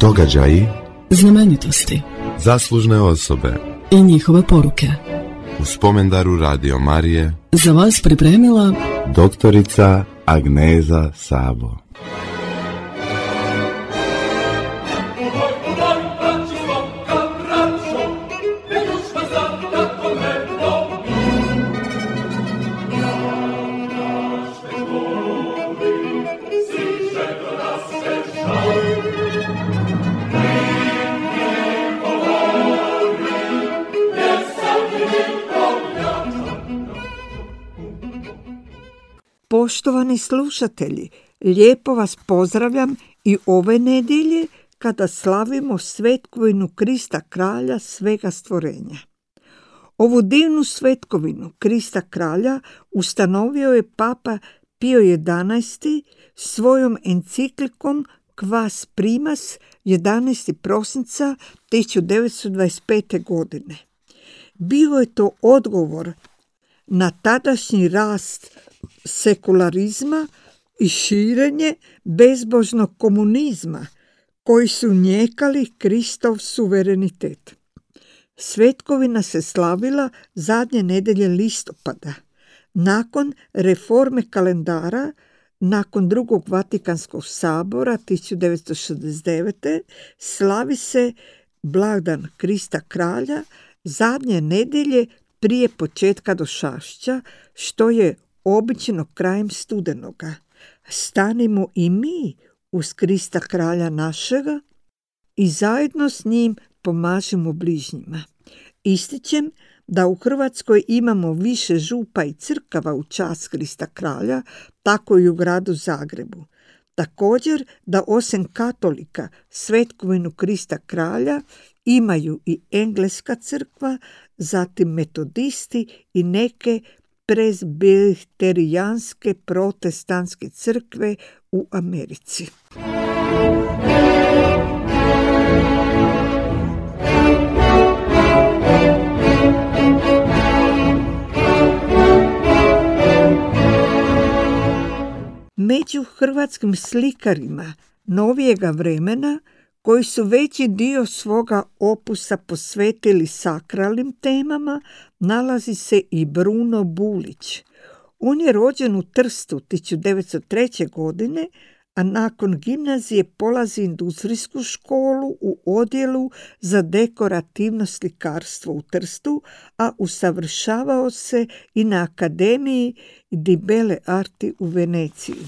Događaji, znamenitosti, zaslužne osobe i njihove poruke. U spomendaru Radio Marije Za vas pripremila doktorica Agneza Sabo. Poštovani slušatelji, lijepo vas pozdravljam i ove nedjelje kada slavimo svetkovinu Krista Kralja svega stvorenja. Ovu divnu svetkovinu Krista Kralja ustanovio je Papa Pio XI svojom enciklikom Quas Primas 11. prosinca 1925. godine. Bio je to odgovor na tadašnji rast sekularizma i širenje bezbožnog komunizma koji su njekali Kristov suverenitet. Svetkovina se slavila zadnje nedjelje listopada. Nakon reforme kalendara, nakon drugog Vatikanskog sabora 1969. slavi se blagdan Krista Kralja zadnje nedjelje prije početka došašća, što je obično krajem studenoga. Stanimo i mi uz Krista Kralja našega i zajedno s njim pomažemo bližnjima. Ističem da u Hrvatskoj imamo više župa i crkava u čast Krista Kralja, tako i u gradu Zagrebu. Također da osim katolika svetkovinu Krista Kralja imaju i engleska crkva, zatim metodisti i neke prezbiterijanske protestantske crkve u Americi. Među hrvatskim slikarima novijega vremena koji su veći dio svoga opusa posvetili sakralnim temama, nalazi se i Bruno Bulić. On je rođen u Trstu 1903. godine, a nakon gimnazije polazi industrijsku školu u odjelu za dekorativno slikarstvo u Trstu, a usavršavao se i na Akademiji di Belle Arti u Veneciji.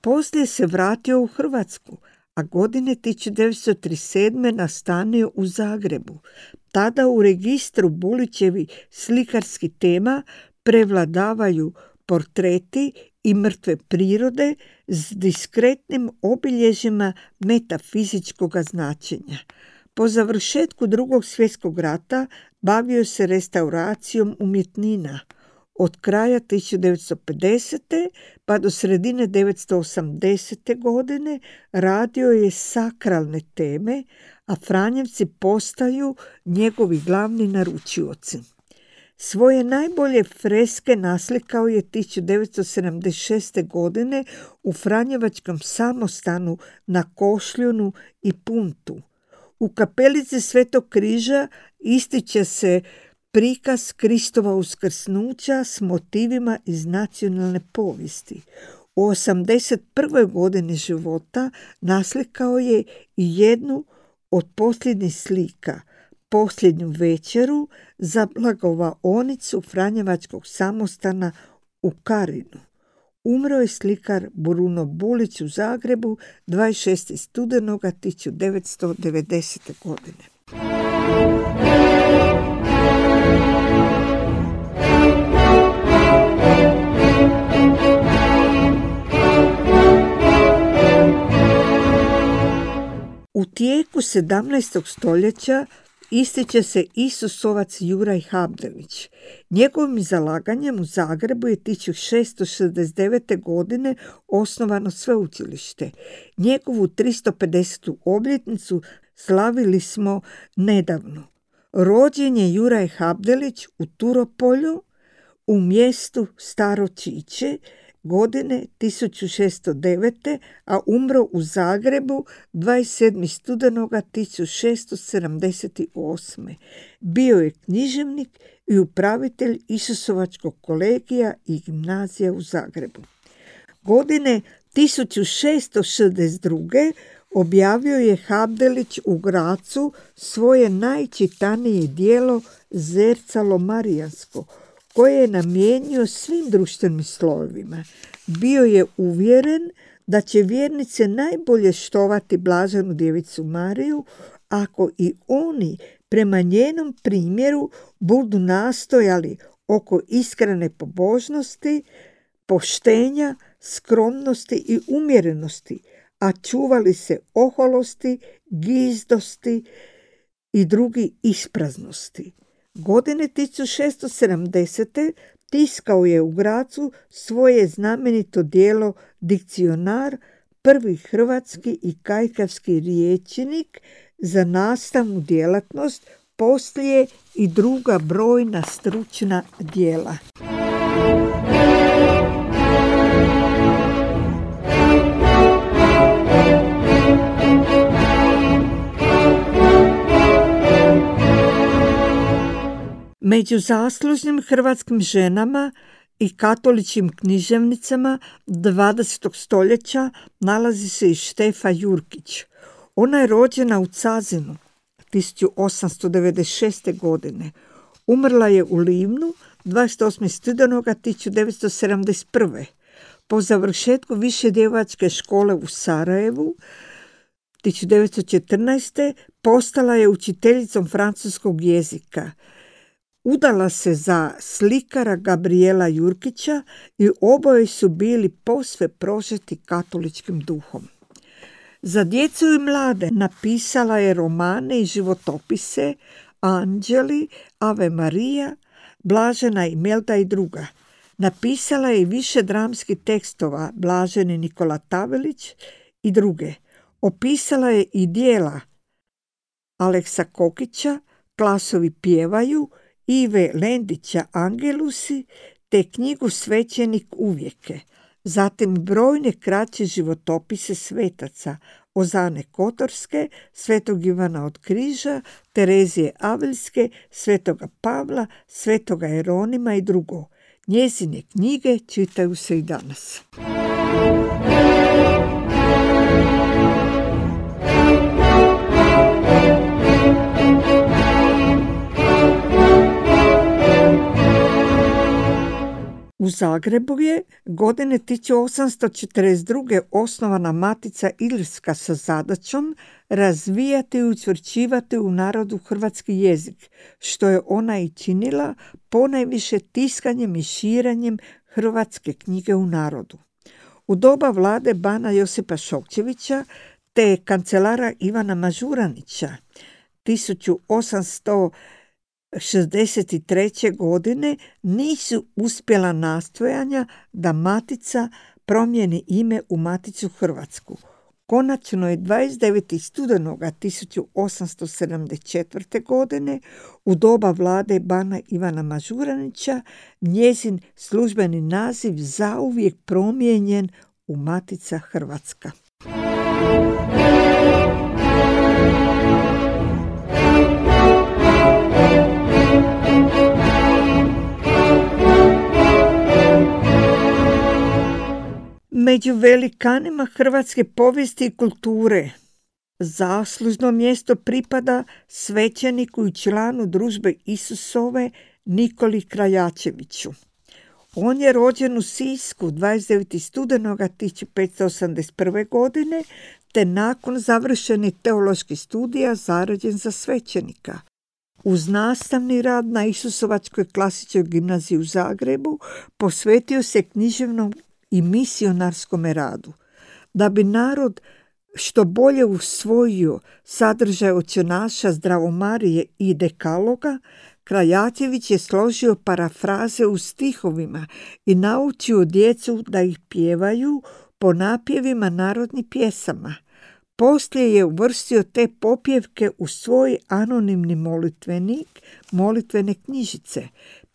Poslije se vratio u Hrvatsku, a godine 1937. nastanio u Zagrebu. Tada u registru Bulićevi slikarskih tema prevladavaju portreti i mrtve prirode s diskretnim obilježjima metafizičkog značenja. Po završetku Drugog svjetskog rata bavio se restauracijom umjetnina. Od kraja 1950. pa do sredine 1980. godine radio je sakralne teme, a Franjevci postaju njegovi glavni naručioci. Svoje najbolje freske naslikao je 1976. godine u Franjevačkom samostanu na Košljunu i Puntu. U kapelici Svetog križa ističe se prikaz Kristova uskrsnuća s motivima iz nacionalne povijesti. U 81. godini života naslikao je i jednu od posljednjih slika, Posljednju večeru za blagovaonicu Franjevačkog samostana u Karinu. Umro je slikar Bruno Bulić u Zagrebu 26. studenoga 1990. godine. U tijeku 17. stoljeća ističe se Isusovac Juraj Habdelić. Njegovim zalaganjem u Zagrebu je 1669. godine osnovano sveučilište. Njegovu 350. obljetnicu slavili smo nedavno. Rođen je Juraj Habdelić u Turopolju, u mjestu Staro Čiče, godine 1609. a umro u Zagrebu 27. studenoga 1678. Bio je književnik i upravitelj Isusovačkog kolegija i gimnazija u Zagrebu. Godine 1662. objavio je Habdelić u Grazu svoje najčitanije djelo Zercalo Marijansko, koje je namijenio svim društvenim slojevima. Bio je uvjeren da će vjernice najbolje štovati blaženu djevicu Mariju ako i oni prema njenom primjeru budu nastojali oko iskrene pobožnosti, poštenja, skromnosti i umjerenosti, a čuvali se oholosti, gizdosti i drugi ispraznosti. Godine 1670. tiskao je u Grazu svoje znamenito djelo Dikcionar, prvi hrvatski i kajkavski rječnik za nastavnu djelatnost, poslije i druga brojna stručna djela. Među zaslužnim hrvatskim ženama i katoličkim književnicama 20. stoljeća nalazi se i Štefa Jurkić. Ona je rođena u Cazinu 1896. godine. Umrla je u Livnu 28. studenoga 1971. Po završetku više djevojačke škole u Sarajevu 1914. postala je učiteljicom francuskog jezika. Udala se za slikara Gabriela Jurkića i oboje su bili posve prožeti katoličkim duhom. Za djecu i mlade napisala je romane i životopise Anđeli, Ave Marija, Blažena Imelda i druga. Napisala je i više dramskih tekstova Blaženi Nikola Tavelić i druge. Opisala je i djela Aleksa Kokića, Klasovi pjevaju, Ive Lendića Angelusi te knjigu Svećenik uvijeke. Zatim brojne kraće životopise svetaca Ozane Kotorske, Svetog Ivana od Križa, Terezije Aviljske, Svetoga Pavla, Svetoga Jeronima i drugo. Njezine knjige čitaju se i danas. U Zagrebu je godine 1842. osnovana Matica Ilirska sa zadaćom razvijati i učvršćivati u narodu hrvatski jezik, što je ona i činila ponajviše tiskanjem i širenjem hrvatske knjige u narodu. U doba vlade bana Josipa Šokčevića te kancelara Ivana Mažuranića 1863. godine nisu uspjela nastojanja da Matica promijeni ime u Maticu Hrvatsku. Konačno je 29. studenoga 1874. godine u doba vlade bana Ivana Mažuranića njezin službeni naziv zauvijek promijenjen u Matica Hrvatska. Među velikanima hrvatske povijesti i kulture zaslužno mjesto pripada svećeniku i članu Družbe Isusove Nikoli Krajačeviću. On je rođen u Sisku 29. studenoga 1581. godine te nakon završenih teoloških studija zarađen za svećenika. Uz nastavni rad na Isusovačkoj klasičnoj gimnaziji u Zagrebu posvetio se književnom i misionarskom radu. Da bi narod što bolje usvojio sadržaj očenaša, Zdravomarije i Dekaloga, Krajačević je složio parafraze u stihovima i naučio djecu da ih pjevaju po napjevima narodnih pjesama. Poslije je uvrstio te popjevke u svoj anonimni molitvenik, molitvene knjižice.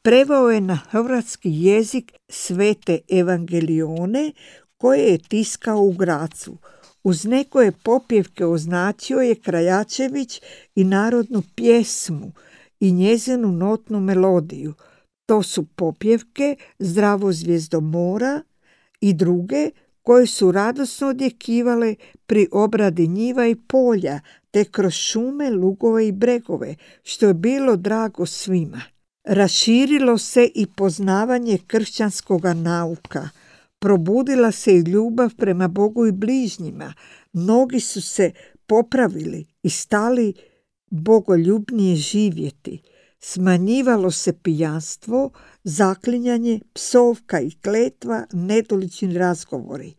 Preveo je na hrvatski jezik svete evangelione koje je tiskao u Grazu. Uz nekoje popjevke označio je Krajačević i narodnu pjesmu i njezinu notnu melodiju. To su popjevke Zdravo zvijezdo mora i druge koje su radosno odjekivale pri obradi njiva i polja, te kroz šume, lugove i bregove, što je bilo drago svima. Raširilo se i poznavanje kršćanskoga nauka. Probudila se i ljubav prema Bogu i bližnjima. Mnogi su se popravili i stali bogoljubnije živjeti. Smanjivalo se pijanstvo, zaklinjanje, psovka i kletva, nedolični razgovori.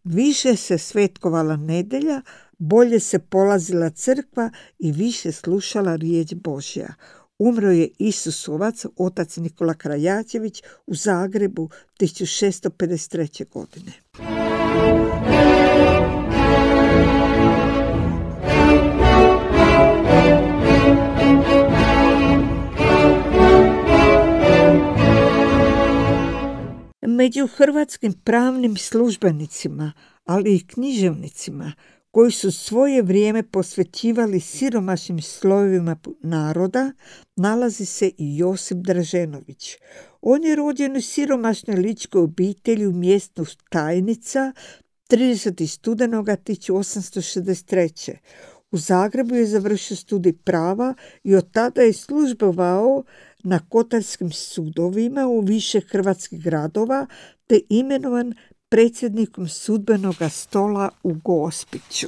Više se svetkovala nedjelja, bolje se polazila crkva i više slušala riječ Božja. Umro je Isusovac, otac Nikola Krajačević, u Zagrebu 1653. godine. Među hrvatskim pravnim službenicima, ali i književnicima, koji su svoje vrijeme posvećivali siromašnim slojevima naroda, nalazi se i Josip Draženović. On je rođen u siromašnoj ličkoj obitelji u mjestu Tajnica 30. studenoga 1863. U Zagrebu je završio studij prava i od tada je službovao na kotarskim sudovima u više hrvatskih gradova, te imenovan predsjednikom sudbenog stola u Gospiću.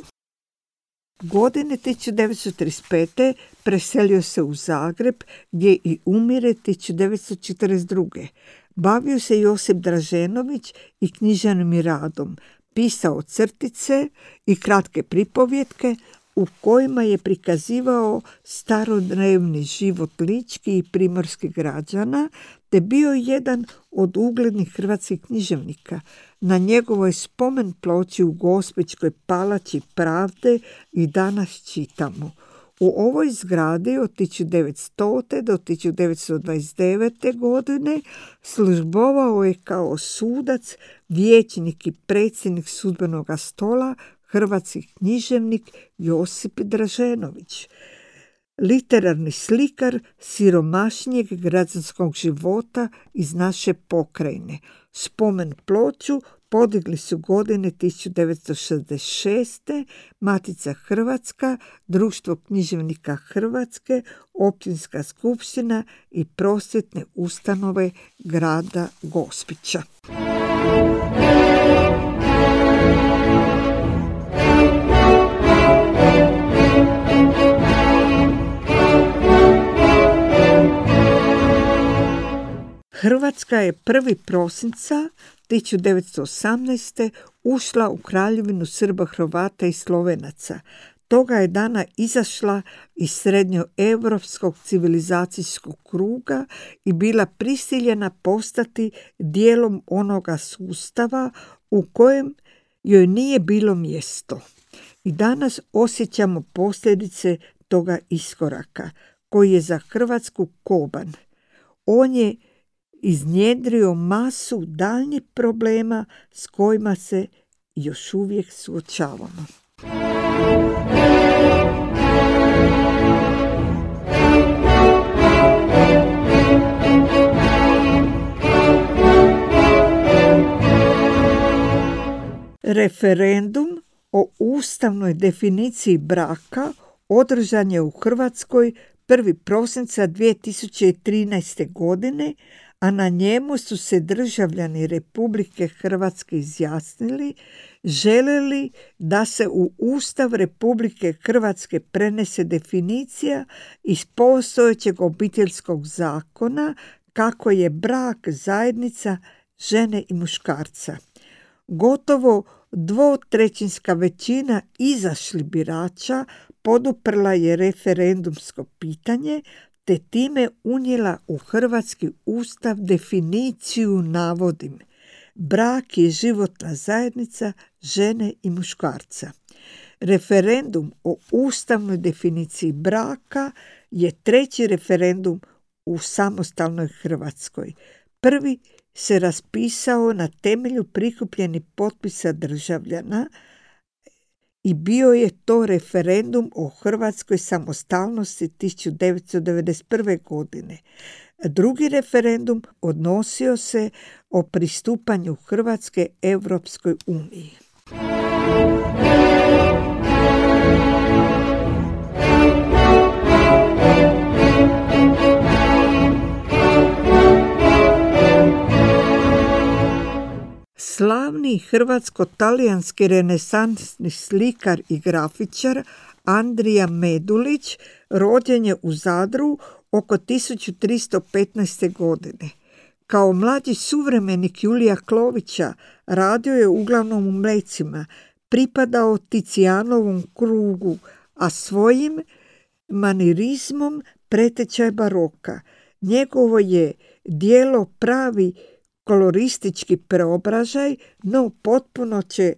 Godine 1935. preselio se u Zagreb, gdje i umire 1942. Bavio se Josip Draženović i književnim radom. Pisao crtice i kratke pripovjetke u kojima je prikazivao starodnevni život ličkih i primorskih građana, te bio jedan od uglednih hrvatskih književnika. Na njegovoj spomen ploči u Gospićkoj palači Pravde i danas čitamo: u ovoj zgradi od 1900. do 1929. godine službovao je kao sudac, vijećnik i predsjednik sudbenog stola hrvatski književnik Josip Draženović, literarni slikar siromašnijeg građanskog života iz naše pokrajine. Spomen ploču podigli su godine 1966. Matica Hrvatska, Društvo književnika Hrvatske, Općinska skupština i prosvjetne ustanove grada Gospića. Hrvatska je 1. prosinca 1918. ušla u Kraljevinu Srba, Hrvata i Slovenaca. Toga je dana izašla iz srednjoevropskog civilizacijskog kruga i bila prisiljena postati dijelom onoga sustava u kojem joj nije bilo mjesto. I danas osjećamo posljedice toga iskoraka, koji je za Hrvatsku koban. On je iznjedrio masu daljnjih problema s kojima se još uvijek suočavamo. Referendum o ustavnoj definiciji braka održan je u Hrvatskoj 1. prosinca 2013. godine, a na njemu su se državljani Republike Hrvatske izjasnili želeli da se u Ustav Republike Hrvatske prenese definicija iz postojećeg obiteljskog zakona kako je brak zajednica žene i muškarca. Gotovo 2/3 većina izašlih birača poduprla je referendumsko pitanje, te time unijela u hrvatski ustav definiciju, navodim: brak je životna zajednica žene i muškarca. Referendum o ustavnoj definiciji braka je 3. referendum u samostalnoj Hrvatskoj. Prvi se raspisao na temelju prikupljenih potpisa državljana i bio je to referendum o hrvatskoj samostalnosti 1991. godine. Drugi referendum odnosio se o pristupanju Hrvatske Europskoj uniji. Slavni hrvatsko-talijanski renesansni slikar i grafičar Andrija Medulić rođen je u Zadru oko 1315. godine. Kao mlađi suvremenik Julija Klovića radio je uglavnom u Mlecima, pripadao Ticijanovom krugu, a svojim manirizmom preteča je baroka. Njegovo je djelo pravi koloristički preobražaj, no potpuno će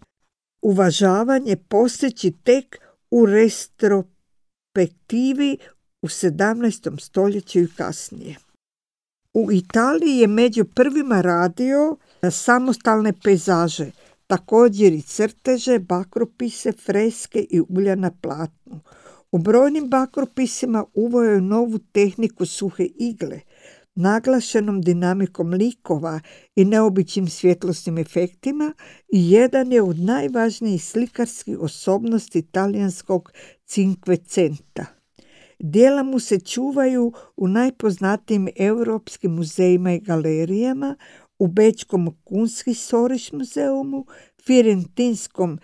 uvažavanje postići tek u retrospektivi u 17. stoljeću i kasnije. U Italiji je među prvima radio samostalne pejzaže, također i crteže, bakropise, freske i ulja na platnu. U brojnim bakropisima uveo je novu tehniku suhe igle, naglašenom dinamikom likova i neobičnim svjetlosnim efektima i jedan je od najvažnijih slikarskih osobnosti talijanskog Cinquecenta. Djela mu se čuvaju u najpoznatijim europskim muzejima i galerijama, u Bečkom Kunsthistorisch muzeumu, Firentinskom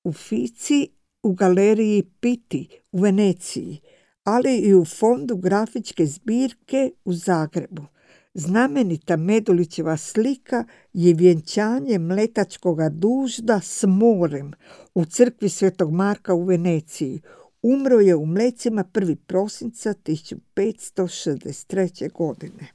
Uffizi, u galeriji Pitti u Veneciji, ali i u fondu grafičke zbirke u Zagrebu. Znamenita Medulićeva slika je vjenčanje mletačkoga dužda s morem u crkvi Svetog Marka u Veneciji. Umro je u Mlecima 1. prosinca 1563. godine.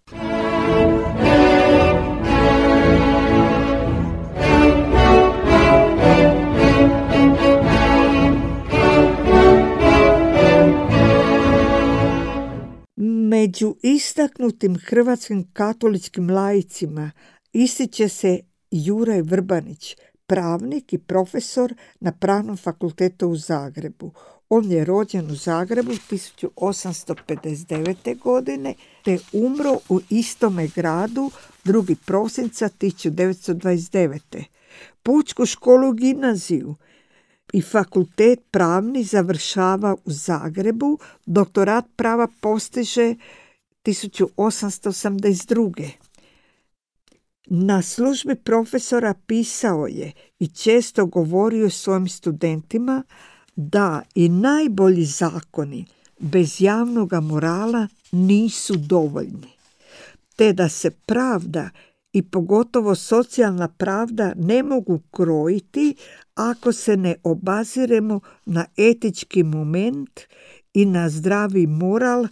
Među istaknutim hrvatskim katoličkim laicima ističe se Juraj Vrbanić, pravnik i profesor na Pravnom fakultetu u Zagrebu. On je rođen u Zagrebu 1859. godine te umro u istome gradu 2. prosinca 1929. Pučku školu gimnaziju i fakultet pravni završava u Zagrebu, doktorat prava postiže 1882. Na službi profesora pisao je i često govorio svojim studentima da i najbolji zakoni bez javnog morala nisu dovoljni, te da se pravda i pogotovo socijalna pravda ne mogu krojiti ako se ne obaziremo na etički moment i na zdravi moral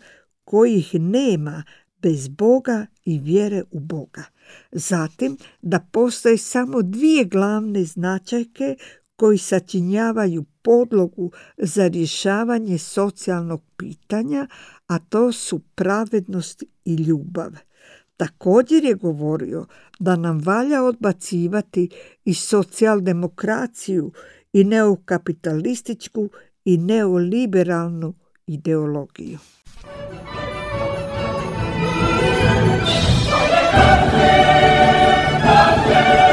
kojih nema bez Boga i vjere u Boga. Zatim da postoje samo dvije glavne značajke koji sačinjavaju podlogu za rješavanje socijalnog pitanja, a to su pravednost i ljubav. Također je govorio da nam valja odbacivati i socijaldemokraciju i neokapitalističku i neoliberalnu ideologiju. Kafe,